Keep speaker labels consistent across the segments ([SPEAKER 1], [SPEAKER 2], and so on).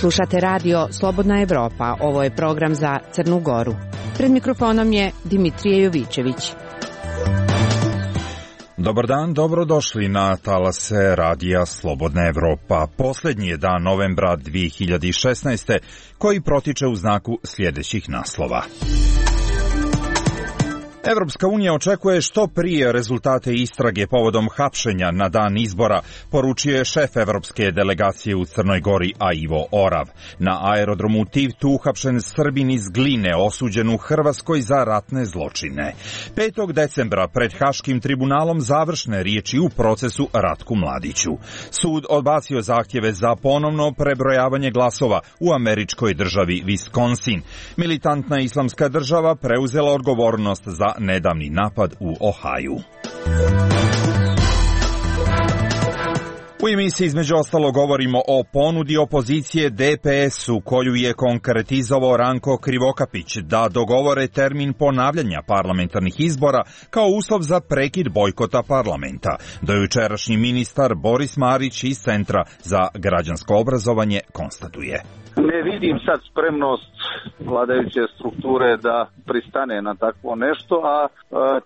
[SPEAKER 1] Slušate radio Slobodna Evropa, ovo je program za Crnu Goru. Pred mikrofonom je Dimitrije Jovićević.
[SPEAKER 2] Dobar dan, dobrodošli na talase radija Slobodna Evropa. Posljednji je dan novembra 2016. koji protiče u znaku sljedećih naslova. Evropska unija očekuje što prije rezultate istrage povodom hapšenja na dan izbora, poručio je šef evropske delegacije u Crnoj Gori, a Ivo Orav. Na aerodromu Tivtu uhapšen Srbin iz Gline, osuđen u Hrvatskoj za ratne zločine. 5. decembra pred Haškim tribunalom završne riječi u procesu Ratku Mladiću. Sud odbacio zahtjeve za ponovno prebrojavanje glasova u američkoj državi Wisconsin. Militantna islamska država preuzela odgovornost za nedavni napad u Ohaju. U emisiji između ostalo govorimo o ponudi opozicije DPS-u koju je konkretizovao Ranko Krivokapić da dogovore termin ponavljanja parlamentarnih izbora kao uslov za prekid bojkota parlamenta. Dojučerašnji ministar Boris Marić iz Centra za građansko obrazovanje konstatuje.
[SPEAKER 3] Ne vidim sad spremnost vladajuće strukture da pristane na takvo nešto, a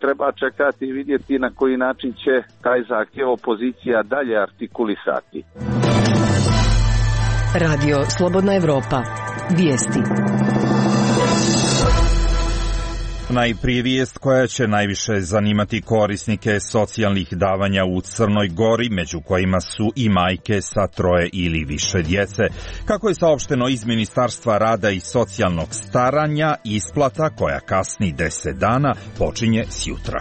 [SPEAKER 3] treba čekati i vidjeti na koji način će taj zahtjev opozicija dalje artikulisati.
[SPEAKER 4] Radio Slobodna Evropa. Vijesti.
[SPEAKER 2] Najprije vijest koja će najviše zanimati korisnike socijalnih davanja u Crnoj Gori, među kojima su i majke sa 3 ili više djece. Kako je saopšteno iz Ministarstva rada i socijalnog staranja, isplata koja kasni 10 dana počinje sjutra.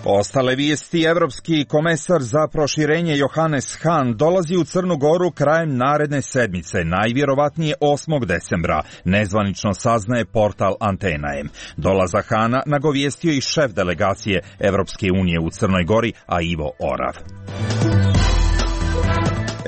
[SPEAKER 2] Ostale vijesti. Evropski komesar za proširenje Johannes Hahn dolazi u Crnu Goru krajem naredne sedmice, najvjerovatnije 8. decembra, nezvanično saznaje portal Antena-M. Dolazak Hahna nagovijestio i šef delegacije Evropske unije u Crnoj Gori, a Ivo Orav.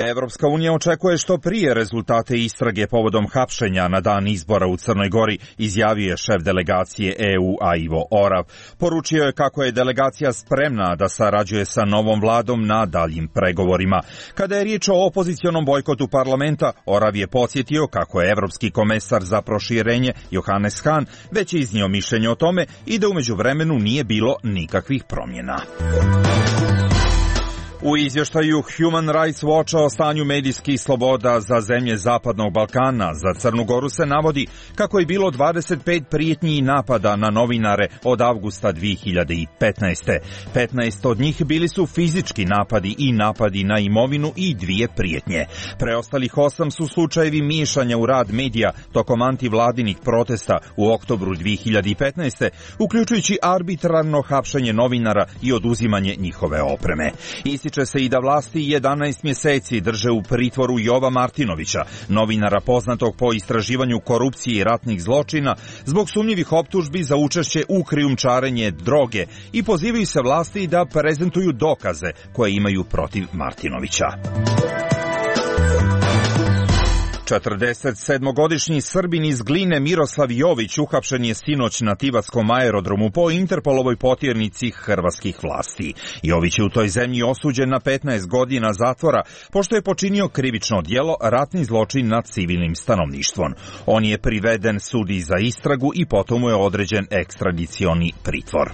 [SPEAKER 2] Evropska unija očekuje što prije rezultate istrage povodom hapšenja na dan izbora u Crnoj Gori, izjavio je šef delegacije EU, a Ivo Orav. Poručio je kako je delegacija spremna da sarađuje sa novom vladom na daljim pregovorima. Kada je riječ o opozicionom bojkotu parlamenta, Orav je podsjetio kako je evropski komesar za proširenje Johannes Hahn već iznio mišljenje o tome i da u međuvremenu nije bilo nikakvih promjena. U izvještaju Human Rights Watcha o stanju medijskih sloboda za zemlje Zapadnog Balkana za Crnu Goru se navodi kako je bilo 25 prijetnji i napada na novinare od avgusta 2015. 15 od njih bili su fizički napadi i napadi na imovinu i 2 prijetnje. Preostalih 8 su slučajevi miješanja u rad medija tokom antivladinih protesta u oktobru 2015. uključujući arbitrarno hapšenje novinara i oduzimanje njihove opreme. Ističe se i da vlasti 11 mjeseci drže u pritvoru Jova Martinovića, novinara poznatog po istraživanju korupcije i ratnih zločina, zbog sumnjivih optužbi za učešće u krijumčarenje droge i pozivaju se vlasti da prezentuju dokaze koje imaju protiv Martinovića. 47-godišnji Srbin iz Gline Miroslav Jović uhapšen je sinoć na Tivatskom aerodromu po Interpolovoj potjernici hrvatskih vlasti. Jović je u toj zemlji osuđen na 15 godina zatvora pošto je počinio krivično djelo ratni zločin nad civilnim stanovništvom. On je priveden sudi za istragu i potom mu je određen ekstradicioni pritvor.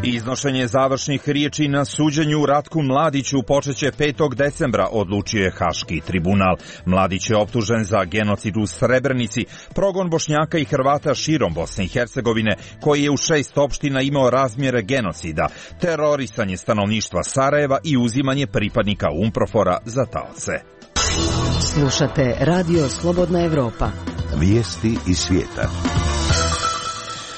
[SPEAKER 2] Iznošenje završnih riječi na suđenju Ratku Mladiću počeće 5. decembra, odlučio je Haški tribunal. Mladić je optužen za genocid u Srebrenici, progon Bošnjaka i Hrvata širom Bosne i Hercegovine, koji je u 6 opština imao razmjere genocida, terorisanje stanovništva Sarajeva i uzimanje pripadnika UNPROFOR-a za taoce.
[SPEAKER 4] Slušate Radio Slobodna Evropa.
[SPEAKER 5] Vijesti iz svijeta.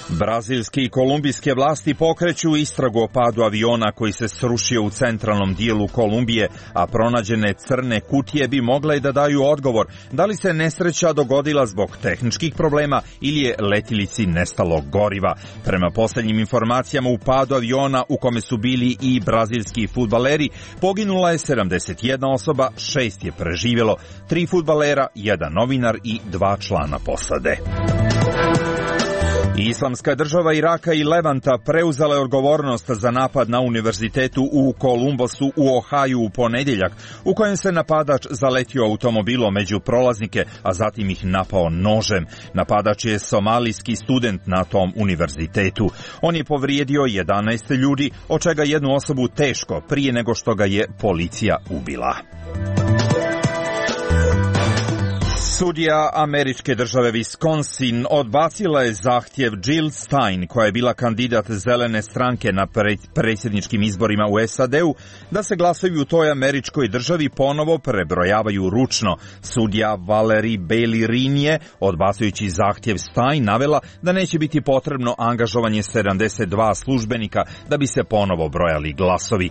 [SPEAKER 2] Brazilske i kolumbijske vlasti pokreću istragu o padu aviona koji se srušio u centralnom dijelu Kolumbije, a pronađene crne kutije bi mogle da daju odgovor da li se nesreća dogodila zbog tehničkih problema ili je letjelici nestalo goriva. Prema posljednjim informacijama, u padu aviona u kome su bili i brazilski fudbaleri poginula je 71 osoba, 6 je preživjelo, 3 fudbalera, 1 novinar i 2 člana posade. Islamska država Iraka i Levanta preuzela je odgovornost za napad na univerzitetu u Kolumbusu u Ohaju u ponedjeljak, u kojem se napadač zaletio automobilom među prolaznike, a zatim ih napao nožem. Napadač je somalijski student na tom univerzitetu. On je povrijedio 11 ljudi, od čega jednu osobu teško, prije nego što ga je policija ubila. Sudija američke države Wisconsin odbacila je zahtjev Jill Stein, koja je bila kandidat zelene stranke na predsjedničkim izborima u SAD-u, da se glasovi u toj američkoj državi ponovo prebrojavaju ručno. Sudija Valerie Bailey je, odbacujući zahtjev Stein, navela da neće biti potrebno angažovanje 72 službenika da bi se ponovo brojali glasovi.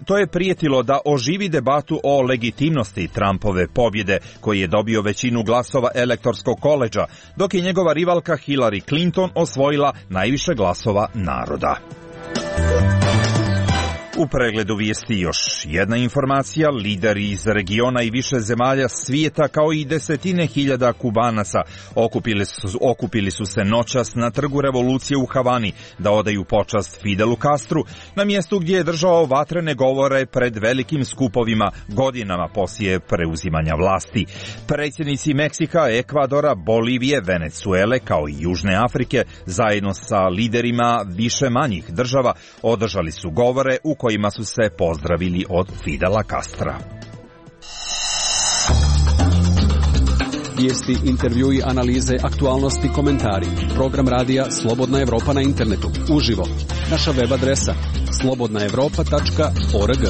[SPEAKER 2] To je prijetilo da oživi debatu o legitimnosti Trumpove pobjede, koji je dobio većinu glasova elektorskog koledža, dok je njegova rivalka Hillary Clinton osvojila najviše glasova naroda. U pregledu vijesti još jedna informacija. Lideri iz regiona i više zemalja svijeta, kao i desetine hiljada Kubanaca, okupili su se noćas na Trgu revolucije u Havani da odaju počast Fidelu Castru, na mjestu gdje je držao vatrene govore pred velikim skupovima godinama poslije preuzimanja vlasti. Predsjednici Meksika, Ekvadora, Bolivije, Venezuele, kao i Južne Afrike, zajedno sa liderima više manjih država, održali su govore u kojima su se pozdravili od Fidela Castra.
[SPEAKER 6] Vijesti, intervjui, analize, aktualnosti, komentari. Program radija Slobodna Evropa na internetu. Uživo. Naša web adresa slobodnaevropa.org.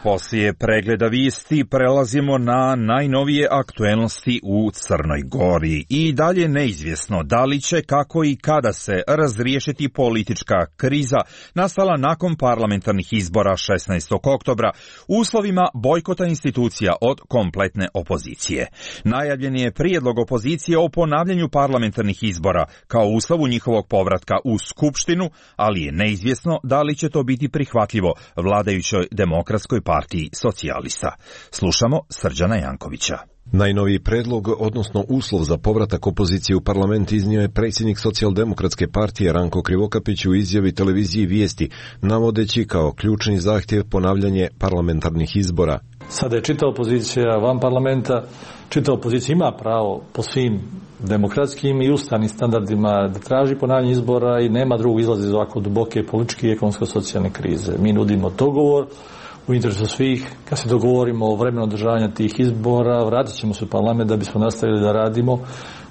[SPEAKER 2] Poslije pregleda vijesti prelazimo na najnovije aktuelnosti u Crnoj Gori. I dalje neizvjesno da li će, kako i kada se razriješiti politička kriza nastala nakon parlamentarnih izbora 16. oktobra u uslovima bojkota institucija od kompletne opozicije. Najavljen je prijedlog opozicije o ponavljanju parlamentarnih izbora kao uslovu njihovog povratka u Skupštinu, ali je neizvjesno da li će to biti prihvatljivo vladajućoj Demokratskoj partiji socijalista. Slušamo Srđana Jankovića.
[SPEAKER 7] Najnoviji predlog, odnosno uslov za povratak opozicije u parlament, iznio je predsjednik Socijaldemokratske partije Ranko Krivokapić u izjavi televiziji Vijesti, navodeći kao ključni zahtjev ponavljanje parlamentarnih izbora.
[SPEAKER 8] Sada je čitava opozicija van parlamenta, čitava opozicija ima pravo po svim demokratskim i ustavnim standardima da traži ponavljanje izbora i nema drugog izlaza iz ovako duboke političke i ekonomsko-socijalne krize. Mi nudimo dogovor u interesu svih. Kad se dogovorimo o vremenu održavanja tih izbora, vratit ćemo se u parlament da bismo nastavili da radimo,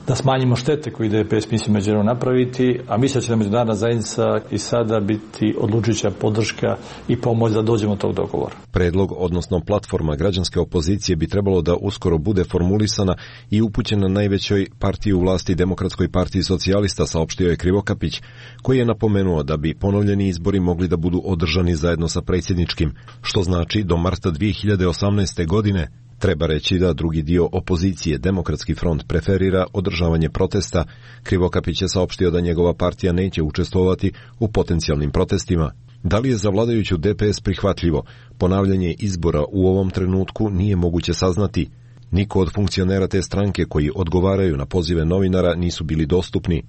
[SPEAKER 8] da smanjimo štete koje DPS misli međunarodno napraviti, a mislim da će da međunarodna zajednica i sada biti odlučujuća podrška i pomoć da dođemo do tog dogovora.
[SPEAKER 7] Predlog, odnosno platforma građanske opozicije, bi trebalo da uskoro bude formulisana i upućena najvećoj partiji u vlasti Demokratskoj partiji socijalista, saopštio je Krivokapić, koji je napomenuo da bi ponovljeni izbori mogli da budu održani zajedno sa predsjedničkim, što znači do marta 2018. godine. Treba reći da drugi dio opozicije, Demokratski front, preferira održavanje protesta. Krivokapić je saopštio da njegova partija neće učestvovati u potencijalnim protestima. Da li je za vladajuću DPS prihvatljivo ponavljanje izbora u ovom trenutku nije moguće saznati. Niko od funkcionera te stranke koji odgovaraju na pozive novinara nisu bili dostupni.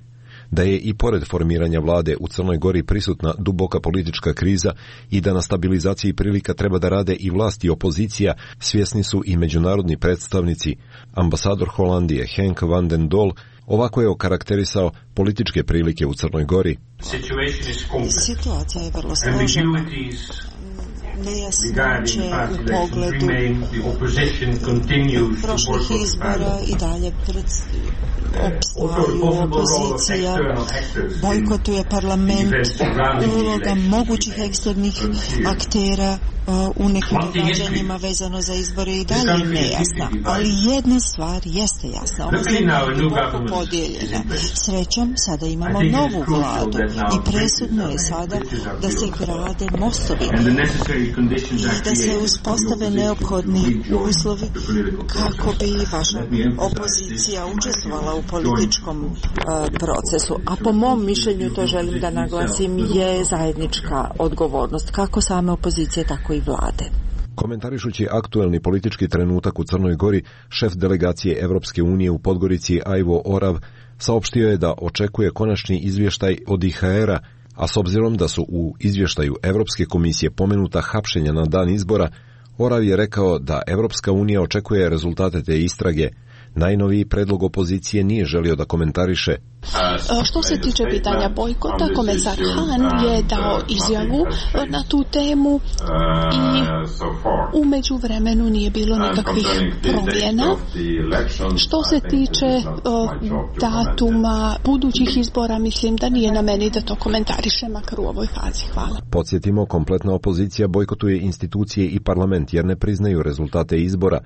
[SPEAKER 7] Da je i pored formiranja vlade u Crnoj Gori prisutna duboka politička kriza i da na stabilizaciji prilika treba da rade i vlast i opozicija, svjesni su i međunarodni predstavnici. Ambasador Holandije Henk van den Dol ovako je okarakterisao političke prilike u Crnoj Gori.
[SPEAKER 9] Situacija je vrlo složena. Nejasnoće u pogledu prošlih izbora i dalje opstaju opozicija, bojkotuje parlament, uloga mogućih eksternih aktera u nekim događanjima vezano za izbore i dalje nejasna. Ali jedna stvar jeste jasna. Ova zemlja je duboko podijeljena. Srećom, sada imamo novu vladu i presudno je sada da se grade mostovi i da se uspostave neophodni uslovi kako bi vaša opozicija učestvovala u političkom procesu. A po mom mišljenju, to želim da naglasim, je zajednička odgovornost kako same opozicije, tako i vlade.
[SPEAKER 7] Komentarišući aktuelni politički trenutak u Crnoj Gori, šef delegacije Evropske unije u Podgorici Ivo Orav saopštio je da očekuje konačni izvještaj od IHR-a, a s obzirom da su u izvještaju Evropske komisije pomenuta hapšenja na dan izbora, Orav je rekao da Evropska unija očekuje rezultate te istrage. Najnoviji predlog opozicije nije želio da komentariše.
[SPEAKER 10] Što se tiče pitanja bojkota, komisar Han je dao izjavu na tu temu i u međuvremenu nije bilo nikakvih promjena. Što se tiče datuma budućih izbora, mislim da nije na meni da to komentarišem, makar u ovoj fazi. Hvala.
[SPEAKER 7] Podsjetimo, kompletna opozicija bojkotuje institucije i parlament jer ne priznaju rezultate izbora,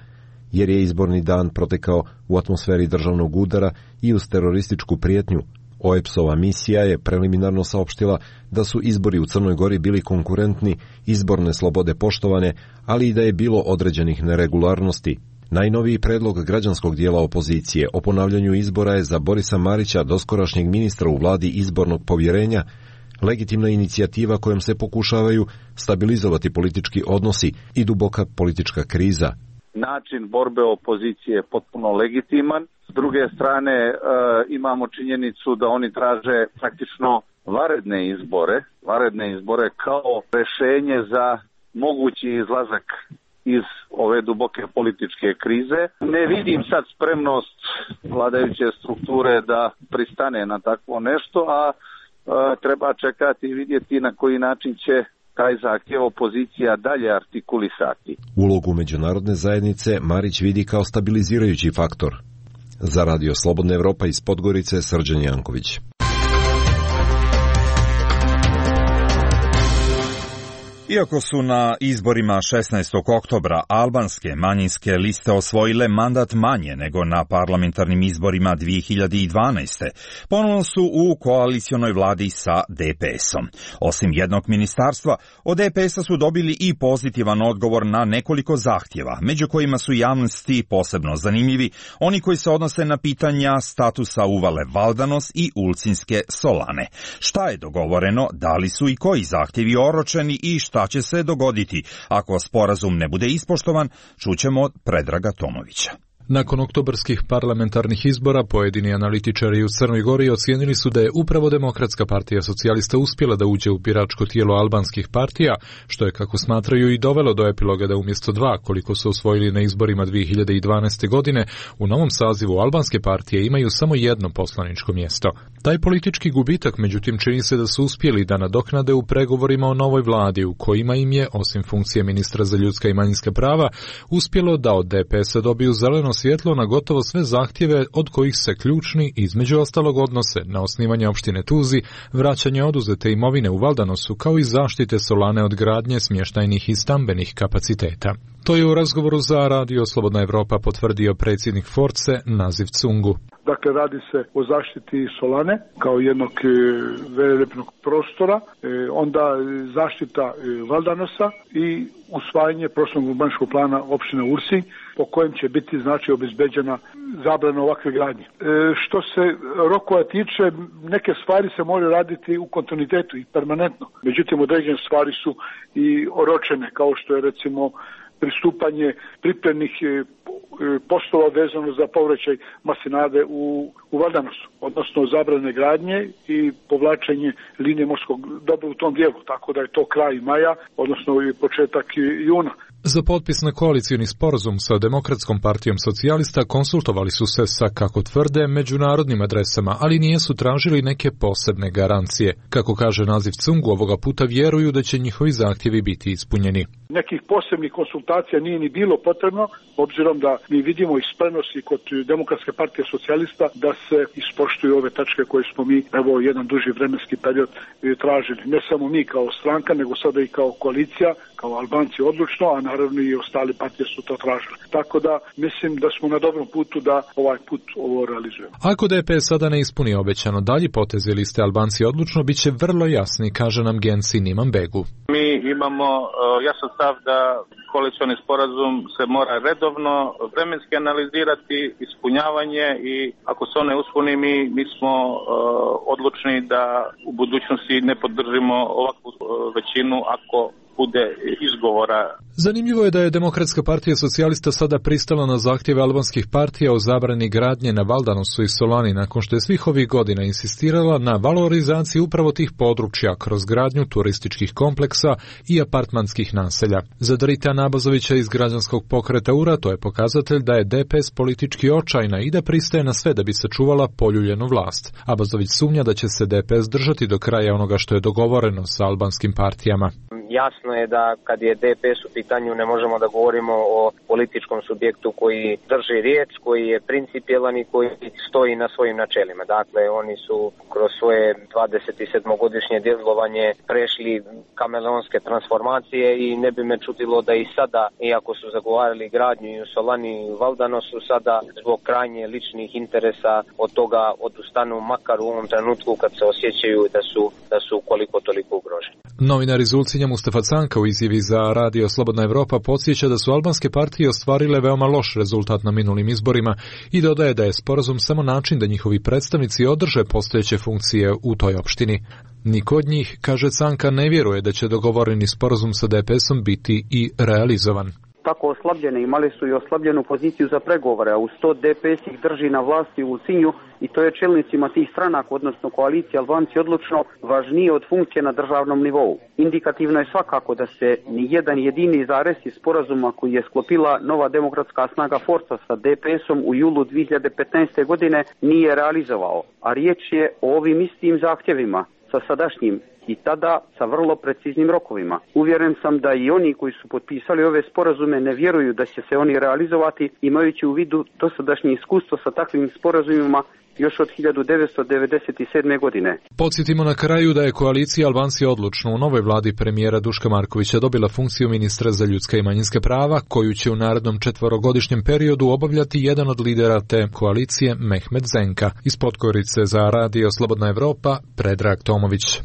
[SPEAKER 7] jer je izborni dan protekao u atmosferi državnog udara i uz terorističku prijetnju. OEBS-ova misija je preliminarno saopštila da su izbori u Crnoj Gori bili konkurentni, izborne slobode poštovane, ali i da je bilo određenih neregularnosti. Najnoviji predlog građanskog dijela opozicije o ponavljanju izbora je za Borisa Marića, doskorašnjeg ministra u vladi izbornog povjerenja, legitimna inicijativa kojom se pokušavaju stabilizovati politički odnosi i duboka politička kriza.
[SPEAKER 3] Način borbe opozicije je potpuno legitiman. S druge strane imamo činjenicu da oni traže praktično varedne izbore kao rješenje za mogući izlazak iz ove duboke političke krize. Ne vidim sad spremnost vladajuće strukture da pristane na takvo nešto, a treba čekati i vidjeti na koji način će taj zahtjev opozicija dalje artikulisati.
[SPEAKER 7] Ulogu međunarodne zajednice Marić vidi kao stabilizirajući faktor. Za Radio Slobodna Evropa iz Podgorice, Srđan Janković.
[SPEAKER 2] Iako su na izborima 16. oktobra albanske manjinske liste osvojile mandat manje nego na parlamentarnim izborima 2012. Ponovno su u koalicionoj vladi sa DPS-om. Osim jednog ministarstva, od DPS-a su dobili i pozitivan odgovor na nekoliko zahtjeva, među kojima su javnosti posebno zanimljivi oni koji se odnose na pitanja statusa uvale Valdanos i Ulcinske Solane. Šta je dogovoreno, da li su i koji zahtjevi oročeni i šta će se dogoditi ako sporazum ne bude ispoštovan, čućemo od Predraga Tomovića.
[SPEAKER 11] Nakon oktobarskih parlamentarnih izbora, pojedini analitičari u Crnoj Gori ocijenili su da je upravo Demokratska partija socijalista uspjela da uđe u biračko tijelo albanskih partija, što je, kako smatraju, i dovelo do epiloga da umjesto 2, koliko su osvojili na izborima 2012. godine, u novom sazivu albanske partije imaju samo jedno poslaničko mjesto. Taj politički gubitak, međutim, čini se da su uspjeli da nadoknade u pregovorima o novoj vladi, u kojima im je, osim funkcije ministra za ljudska i manjinska prava, uspjelo da od DPS-a dobiju zeleno svjetlo na gotovo sve zahtjeve, od kojih se ključni između ostalog odnose na osnivanje opštine Tuzi, vraćanje oduzete imovine u Valdanosu, kao i zaštite Solane od gradnje smještajnih i stambenih kapaciteta. To je u razgovoru za Radio Slobodna Evropa potvrdio predsjednik Force Naziv Cungu.
[SPEAKER 12] Dakle, radi se o zaštiti Solane kao jednog velelepnog prostora, onda zaštita Valdanosa i usvajanje prostornog urbanističkog plana opštine Ursi, po kojem će biti znači obezbeđena zabrana ovakve gradnje. Što se rokova tiče, neke stvari se moraju raditi u kontinuitetu i permanentno. Međutim, određene stvari su i oročene, kao što je recimo pristupanje pripremnih poslova vezano za povraćaj masinade u Valdanosu, odnosno zabrane gradnje i povlačenje linije morskog dobra u tom dijelu, tako da je to kraj maja, odnosno i početak juna.
[SPEAKER 11] Za potpis na koalicioni sporazum sa Demokratskom partijom socijalista konsultovali su se sa, kako tvrde, međunarodnim adresama, ali nisu tražili neke posebne garancije. Kako kaže Naziv Cungu, ovoga puta vjeruju da će njihovi zahtjevi biti ispunjeni.
[SPEAKER 12] Nekih posebnih konsultacija nije ni bilo potrebno, obzirom da mi vidimo i spremnosti kod Demokratske partije socijalista da se ispoštuju ove tačke koje smo mi, evo, jedan duži vremenski period tražili. Ne samo mi kao stranka, nego sada i kao koalicija, kao Albanci odlučno, a naravno i ostali partije su to tražili. Tako da mislim da smo na dobrom putu da ovaj put ovo realizujemo.
[SPEAKER 11] Ako DPS sada ne ispuni obećano, dalji potezi liste Albanci odlučno bit će vrlo jasni, kaže nam Genci Niman Begu.
[SPEAKER 13] Mi imamo jasan stav da koalicioni sporazum se mora redovno vremenski analizirati, ispunjavanje, i ako se one ispuni, mi smo odlučni da u budućnosti ne podržimo ovakvu većinu ako bude izgovora.
[SPEAKER 11] Zanimljivo je da je Demokratska partija socijalista sada pristala na zahtjeve albanskih partija o zabrani gradnje na Valdanosu i Solani nakon što je svih ovih godina insistirala na valorizaciji upravo tih područja kroz gradnju turističkih kompleksa i apartmanskih naselja. Za Dritana Abazovića iz građanskog pokreta URA to je pokazatelj da je DPS politički očajna i da pristaje na sve da bi sačuvala poljuljenu vlast. Abazović sumnja da će se DPS držati do kraja onoga što je dogovoreno sa albanskim partijama.
[SPEAKER 14] Jasno je da kad je DPS u pitanju ne možemo da govorimo o političkom subjektu koji drži riječ, koji je principijelan i koji stoji na svojim načelima. Dakle, oni su kroz svoje 27-godišnje djelovanje prešli kameleonske transformacije i ne bi me čudilo da i sada, iako su zagovarali gradnju i u Solani i u Valdanosu, sada zbog krajnje ličnih interesa od toga odustanu, makar u ovom trenutku kad se osjećaju da su koliko toliko ugroženi.
[SPEAKER 11] Novinar iz Ulcinja Mustafa Canka u izjavi za Radio Slobodna Evropa podsjeća da su albanske partije ostvarile veoma loš rezultat na minulim izborima i dodaje da je sporazum samo način da njihovi predstavnici održe postojeće funkcije u toj opštini. Niko od njih, kaže Canka, ne vjeruje da će dogovoreni sporazum sa DPS-om biti i realizovan.
[SPEAKER 15] Tako oslabljene, imali su i oslabljenu poziciju za pregovore, a uz to DPS ih drži na vlasti u Ulcinju i to je čelnicima tih stranaka, odnosno koalicije Albanci odlučno važnije od funkcije na državnom nivou. Indikativno je svakako da se ni jedan jedini zarez iz sporazuma koji je sklopila nova demokratska snaga Forca sa DPS-om u julu 2015. godine nije realizovao, a riječ je o ovim istim zahtjevima sa sadašnjim i tada sa vrlo preciznim rokovima. Uvjeren sam da i oni koji su potpisali ove sporazume ne vjeruju da će se oni realizovati, imajući u vidu dosadašnje iskustvo sa takvim sporazumima još od 1997. godine.
[SPEAKER 11] Podsjetimo na kraju da je koalicija Albanci odlučno u novoj vladi premijera Duška Markovića dobila funkciju ministra za ljudska i manjinska prava, koju će u narednom 4-godišnjem periodu obavljati jedan od lidera te koalicije, Mehmet Zenka. Iz Podgorice za Radio Slobodna Evropa, Predrag Tomović.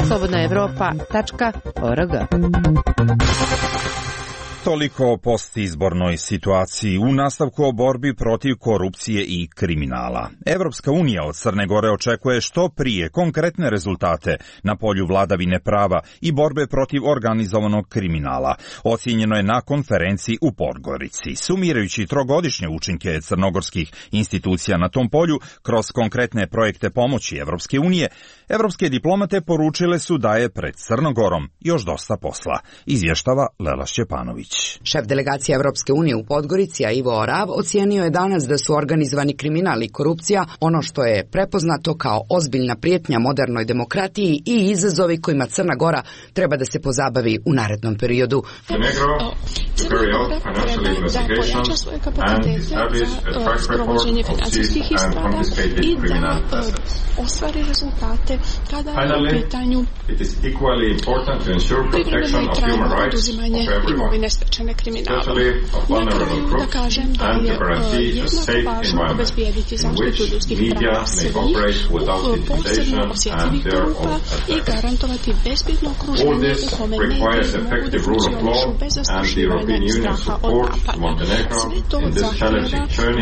[SPEAKER 1] slobodnaevropa.org.
[SPEAKER 2] Toliko o postizbornoj situaciji. U nastavku o borbi protiv korupcije i kriminala. Evropska unija od Crne Gore očekuje što prije konkretne rezultate na polju vladavine prava i borbe protiv organizovanog kriminala. Ocijenjeno je na konferenciji u Podgorici. Sumirajući trogodišnje učinke crnogorskih institucija na tom polju kroz konkretne projekte pomoći Evropske unije, evropske diplomate poručile su da je pred Crnogorom još dosta posla. Izvještava Lela Šćepanović.
[SPEAKER 16] Šef delegacije Evropske unije u Podgorici, Ivo Orav, ocijenio je danas da su organizovani kriminal i korupcija ono što je prepoznato kao ozbiljna prijetnja modernoj demokratiji i izazovi kojima Crna Gora treba da se pozabavi u narednom periodu.
[SPEAKER 10] Crna Gora treba da pojača svoje kapacitete za sprovođenje financijskih istraga i da ostvari rezultate kada je u pitanju privremeno i trajno oduzimanje imovine stečene kriminalom. Na kraju da kažem da je jednako važno obezbijediti zaštitu ljudskih prava svih posebno osjetljivih grupa i garantovati bezbjedno okruženje u kome mediji mogu da funkcionišu bez zastrašivanja straha od napada. Sve to zahtjeva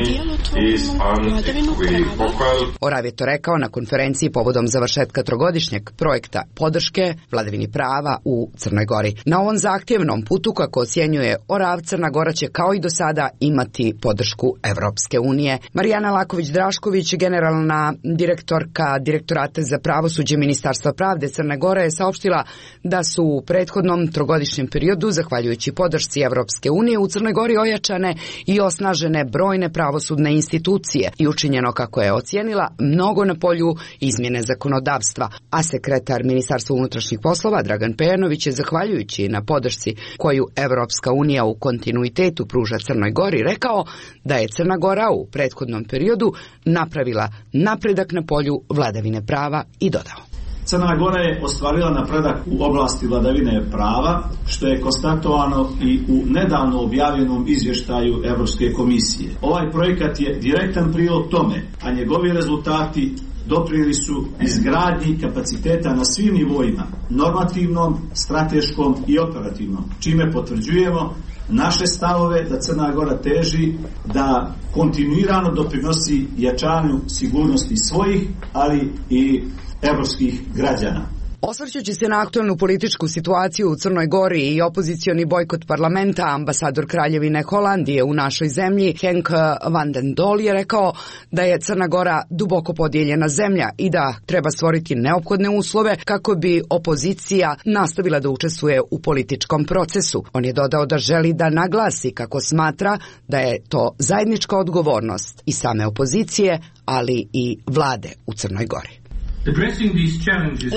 [SPEAKER 10] djelotvornu vladavinu prava.
[SPEAKER 16] Orav je to rekao na konferenciji povodom završetka trogodišnjeg projekta podrške vladavini prava u Crnoj Gori. Na ovom zahtjevnom putu, kako ocjenjuje Orav, Crna Gora će kao i do sada imati podršku Evropske unije. Marijana Laković-Drašković, generalna direktorka Direktorata za pravosuđe Ministarstva pravde Crne Gore, je saopštila da su u prethodnom trogodišnjem periodu, zahvaljujući podršci Evropske unije, u Crnoj Gori ojačane i osnažene brojne pravosudne institucije i učinjeno, kako je ocijenila, mnogo na polju izmjene zakonodavstva. A sekretar Ministarstva unutrašnjih poslova Dragan Pejanović je, zahvaljujući na podršci koju Evropska unija u kontinuitetu pruža Crnoj Gori, rekao da je Crna Gora u prethodnom periodu napravila napredak na polju vladavine prava i dodao:
[SPEAKER 17] Crna Gora je ostvarila napredak u oblasti vladavine prava, što je konstatovano i u nedavno objavljenom izvještaju Evropske komisije. Ovaj projekat je direktan prilog tome, a njegovi rezultati doprinijeli su izgradnji kapaciteta na svim nivoima, normativnom, strateškom i operativnom, čime potvrđujemo naše stavove da Crna Gora teži da kontinuirano doprinosi jačanju sigurnosti svojih, ali i evropskih građana.
[SPEAKER 16] Osvrćući se na aktualnu političku situaciju u Crnoj Gori i opozicioni bojkot parlamenta, ambasador Kraljevine Holandije u našoj zemlji Henk van den Dol je rekao da je Crna Gora duboko podijeljena zemlja i da treba stvoriti neophodne uslove kako bi opozicija nastavila da učestvuje u političkom procesu. On je dodao da želi da naglasi kako smatra da je to zajednička odgovornost i same opozicije, ali i vlade u Crnoj Gori.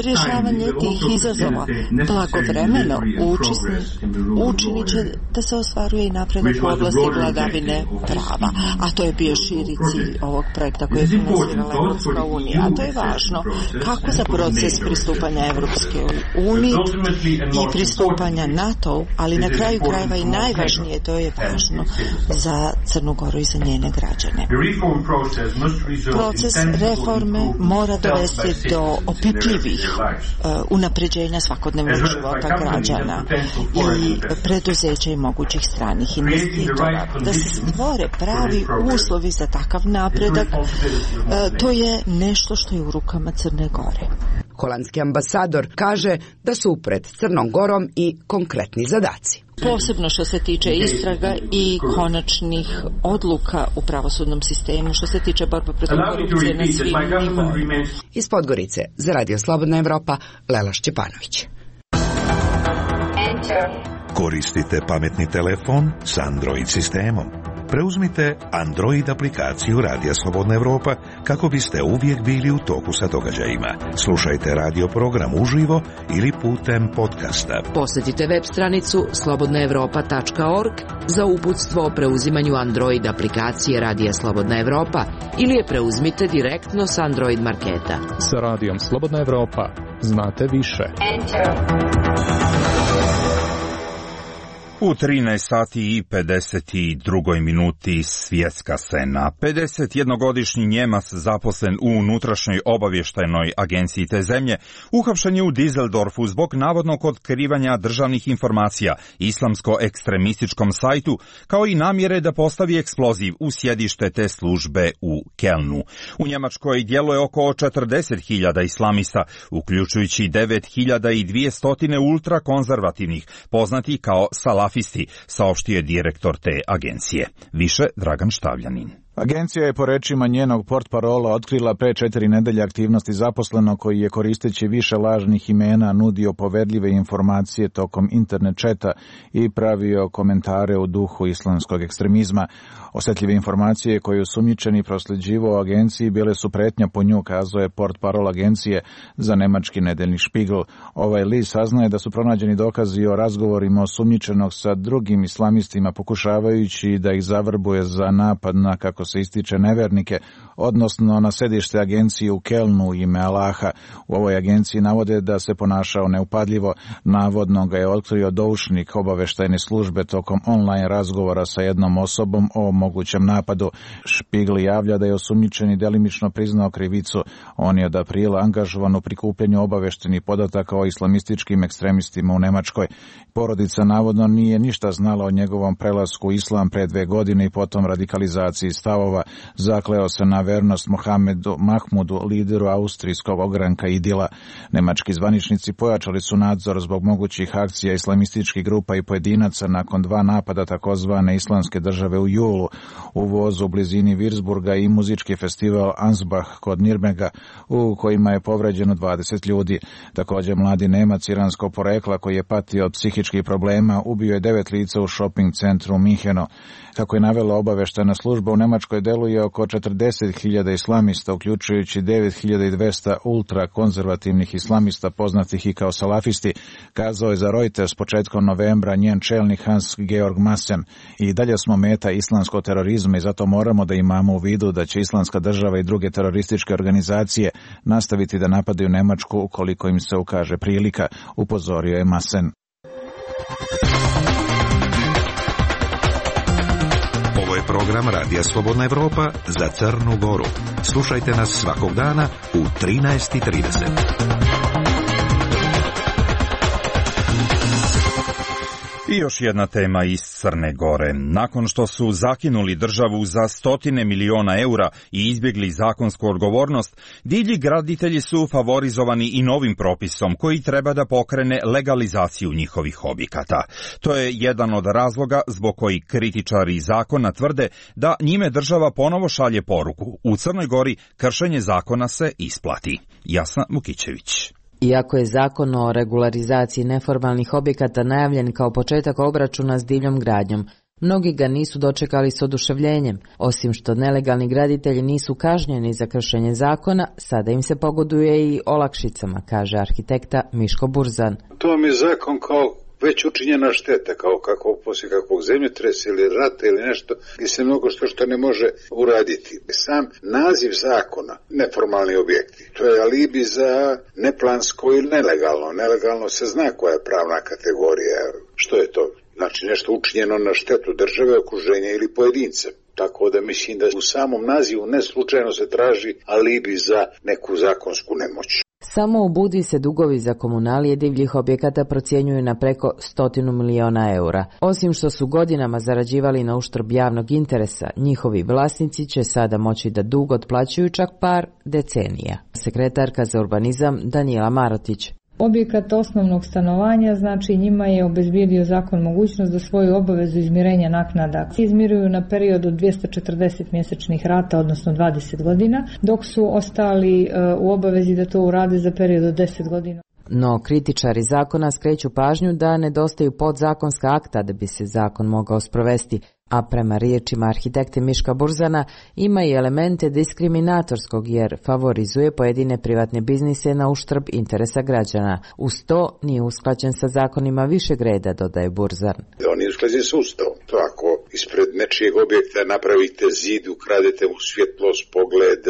[SPEAKER 9] Rješavanje tih izazova blagovremeno učinit će da se ostvaruje i napredak u oblasti vladavine prava, a to je bio širi cilj ovog projekta koji je finansirala Evropska unija, a to je važno kako za proces pristupanja Evropske unije i pristupanja NATO, ali na kraju krajeva i najvažnije, to je važno za Crnu Goru i za njene građane. Proces reforme mora dovesti do opipljivih unapređenja svakodnevnog života građana i preduzeća i mogućih stranih investitora. Da se stvore pravi uslovi za takav napredak, to je nešto što je u rukama Crne Gore.
[SPEAKER 16] Holandski ambasador kaže da su pred Crnom Gorom i konkretni zadaci.
[SPEAKER 9] Posebno što se tiče istraga i konačnih odluka u pravosudnom sistemu, što se tiče borbe protiv korupcije na svim nivoima.
[SPEAKER 16] Iz Podgorice za Radio Slobodna Evropa, Lela Šćepanović.
[SPEAKER 5] Koristite pametni telefon s Android sistemom. Preuzmite Android aplikaciju Radija Slobodna Evropa kako biste uvijek bili u toku sa događajima. Slušajte radio program uživo ili putem podcasta.
[SPEAKER 18] Posjetite web stranicu slobodnaevropa.org za uputstvo o preuzimanju Android aplikacije Radija Slobodna Evropa ili je preuzmite direktno s Android marketa.
[SPEAKER 11] Sa Radijom Slobodna Evropa znate više.
[SPEAKER 2] U 13 sati i 52 minuti svjetska scena. 51-godišnji Njemac zaposlen u unutrašnjoj obavještajnoj agenciji te zemlje uhapšen je u Düsseldorfu zbog navodnog otkrivanja državnih informacija islamsko-ekstremističkom sajtu, kao i namjere da postavi eksploziv u sjedište te službe u Kelnu. U Njemačkoj djeluje oko 40.000 islamista, uključujući 9.200 ultrakonzervativnih, poznati kao salafisti, saopštio je direktor te agencije. Više Dragan Štavljanin.
[SPEAKER 19] Agencija je po rečima njenog portparola otkrila pre 4 nedelje aktivnosti zaposlenog koji je koristeći više lažnih imena nudio poverljive informacije tokom internet četa i pravio komentare u duhu islamskog ekstremizma. Osjetljive informacije koje osumnjičeni prosljeđivao agenciji bile su pretnja po nju, kazao je portparol agencije za nemački nedeljni Špigl. Ovaj list saznaje da su pronađeni dokazi o razgovorima osumnjičenog sa drugim islamistima pokušavajući da ih zavrbuje za napad na, kako se ističe, nevernike, odnosno na sedište agencije u Kelnu ime Allaha. U ovoj agenciji navode da se ponašao neupadljivo. Navodno ga je otkrio doušnik obaveštajne službe tokom online razgovora sa jednom osobom o mogućem napadu. Špigl javlja da je osumnjičeni delimično priznao krivicu. On je od aprila angažovan u prikupljanju obaveštenih podataka o islamističkim ekstremistima u Nemačkoj. Porodica navodno nije ništa znala o njegovom prelasku u islam pre 2 godine i potom radikalizaciji stavova. Zakleo se na vernost Mohamedu Mahmudu, lideru austrijskog ogranka Idila. Nemački zvaničnici pojačali su nadzor zbog mogućih akcija islamističkih grupa i pojedinaca nakon 2 napada takozvane islamske države u julu u vozu u blizini Würzburga i muzički festival Ansbach kod Nirnberga u kojima je povređeno 20 ljudi. Također mladi Nemac iranskog porekla koji je patio od psihičkih problema ubio je 9 lica u shopping centru Minheno. Kako je navela obaveštajna služba, u Nemačkoj deluje oko 40.000 islamista, uključujući 9.200 ultrakonzervativnih islamista poznatih i kao salafisti, kazao je za Reuters početkom novembra njen čelnik Hans-Georg Maassen. I dalje smo meta islamskog terorizma i zato moramo da imamo u vidu da će Islamska država i druge terorističke organizacije nastaviti da napadaju Nemačku ukoliko im se ukaže prilika, upozorio je Maassen.
[SPEAKER 5] Ovo je program Radija Slobodna Evropa za Crnu Goru. Slušajte nas svakog dana u 13:30.
[SPEAKER 2] I još jedna tema iz Crne Gore. Nakon što su zakinuli državu za stotine miliona eura i izbjegli zakonsku odgovornost, divlji graditelji su favorizovani i novim propisom koji treba da pokrene legalizaciju njihovih objekata. To je jedan od razloga zbog koji kritičari zakona tvrde da njime država ponovo šalje poruku. U Crnoj Gori kršenje zakona se isplati. Jasna Vukićević.
[SPEAKER 18] Iako je zakon o regularizaciji neformalnih objekata najavljen kao početak obračuna s divljom gradnjom, mnogi ga nisu dočekali s oduševljenjem. Osim što nelegalni graditelji nisu kažnjeni za kršenje zakona, sada im se pogoduje i olakšicama, kaže arhitekta Miško Burzan.
[SPEAKER 20] To mi je zakon kao već učinjena šteta, kao poslije kakvog zemljotresa ili rata ili nešto, gdje se mnogo što ne može uraditi. Sam naziv zakona, neformalni objekti, to je alibi za neplansko ili nelegalno. Nelegalno se zna koja je pravna kategorija. Što je to? Znači nešto učinjeno na štetu države, okruženja ili pojedinca. Tako da mislim da u samom nazivu ne slučajno se traži alibi za neku zakonsku nemoć.
[SPEAKER 18] Samo u Budvi se dugovi za komunalije divljih objekata procjenjuju na preko 100 miliona eura. Osim što su godinama zarađivali na uštrb javnog interesa, njihovi vlasnici će sada moći da dug otplaćuju čak par decenija. Sekretarka za urbanizam Danijela Marotić.
[SPEAKER 21] Objekat osnovnog stanovanja, znači njima je obezbijedio zakon mogućnost da svoju obavezu izmirenja naknada izmiruju na period od 240 mjesečnih rata, odnosno 20 godina, dok su ostali u obavezi da to urade za period od 10 godina.
[SPEAKER 18] No, kritičari zakona skreću pažnju da nedostaju podzakonska akta da bi se zakon mogao sprovesti, a prema riječima arhitekte Miška Burzana ima i elemente diskriminatorskog jer favorizuje pojedine privatne biznise na uštrb interesa građana. Uz to nije usklađen sa zakonima višeg reda, dodaje Burzan.
[SPEAKER 20] On je usklađen sa Ustavom. To ako ispred nečijeg objekta napravite zid, ukradete mu svjetlost, pogled,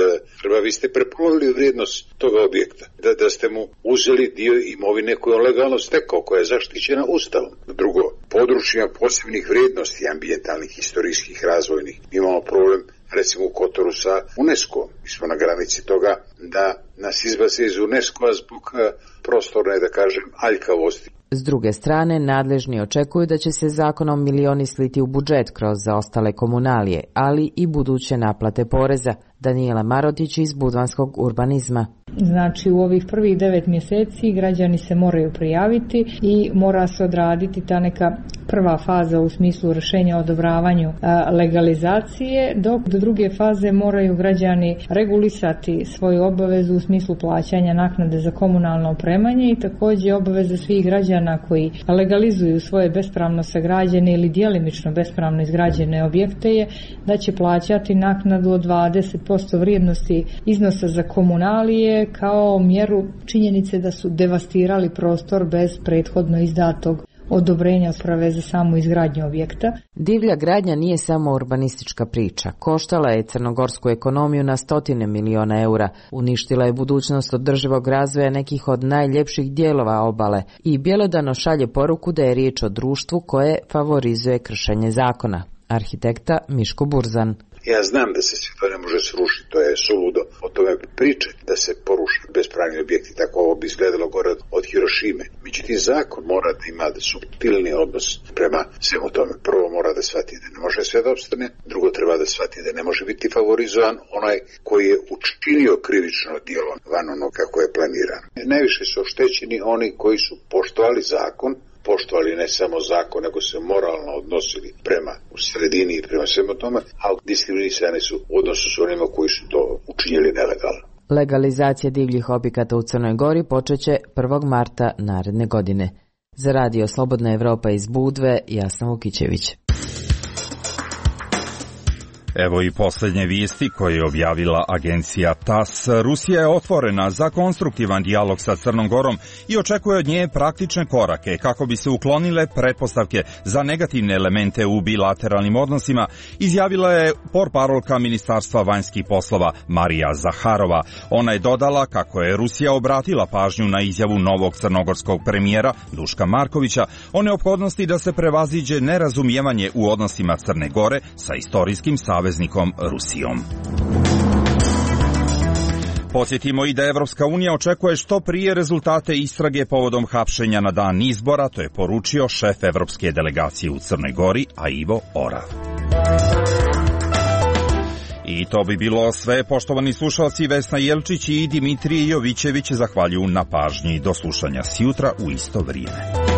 [SPEAKER 20] vi ste prepolovili vrijednost toga objekta. Da ste mu uzeli dio imovine koju on legalno stekao, koja je zaštićena Ustavom. Drugo, područjima posebnih vrijednosti ambijentalnih, historijskih, razvojnih. Imamo problem recimo u Kotoru sa UNESCO. Mi smo na granici toga da nas izbace iz UNESCO-a zbog prostorne, da kažem, aljkavosti.
[SPEAKER 18] S druge strane, nadležni očekuju da će se zakonom milioni sliti u budžet kroz zaostale komunalije, ali i buduće naplate poreza. Danijela Marotić iz Budvanskog urbanizma.
[SPEAKER 21] Znači u ovih prvih 9 mjeseci građani se moraju prijaviti i mora se odraditi ta neka prva faza u smislu rješenja o odobravanju legalizacije, dok do druge faze moraju građani regulisati svoju obavezu u smislu plaćanja naknade za komunalno opremanje i također obaveze svih građana koji legalizuju svoje bespravno sagrađene ili djelimično bespravno izgrađene objekte je da će plaćati naknadu od 20% vrijednosti iznosa za komunalije kao mjeru činjenice da su devastirali prostor bez prethodno izdatog odobrenja sprave za samu izgradnju objekta.
[SPEAKER 18] Divlja gradnja nije samo urbanistička priča. Koštala je crnogorsku ekonomiju na stotine miliona eura. Uništila je budućnost održivog razvoja nekih od najljepših dijelova obale i bjelodano šalje poruku da je riječ o društvu koje favorizuje kršenje zakona. Arhitekta Miško Burzan.
[SPEAKER 20] Ja znam da se sve to ne može srušiti, to je suludo o tome pričati, da se poruši bespravni objekti, tako ovo bi izgledalo gore od Hirošime. Međutim, zakon mora da ima da suptilni odnos prema svemu tome. Prvo mora da shvati da ne može sve da opstane, drugo treba da shvati da ne može biti favorizovan onaj koji je učinio krivično djelo van ono kako je planirano. Najviše su oštećeni oni koji su poštovali zakon, poštovali ne samo zakon, nego se moralno odnosili prema u sredini i prema svemu tome, a diskriminisani su u odnosu s onima koji su to učinili nelegalno.
[SPEAKER 18] Legalizacija divljih objekata u Crnoj Gori počeće 1. marta naredne godine. Za Radio Slobodna Evropa iz Budve, Jasna Vukićević.
[SPEAKER 2] Evo i posljednje vijesti koje je objavila agencija TAS. Rusija je otvorena za konstruktivan dijalog sa Crnom Gorom i očekuje od nje praktične korake kako bi se uklonile pretpostavke za negativne elemente u bilateralnim odnosima, izjavila je portparolka Ministarstva vanjskih poslova Marija Zaharova. Ona je dodala kako je Rusija obratila pažnju na izjavu novog crnogorskog premijera Duška Markovića o neophodnosti da se prevaziđe nerazumijevanje u odnosima Crne Gore sa istorijskim saveznikom Rusijom. Podsjetimo i da Evropska unija očekuje što prije rezultate istrage povodom hapšenja na dan izbora, to je poručio šef Evropske delegacije u Crnoj Gori, Ivo Orav. I to bi bilo sve, poštovani slušalci. Vesna Jelčić i Dimitrije Jovićević zahvaljuju na pažnji. Do slušanja sjutra u isto vrijeme.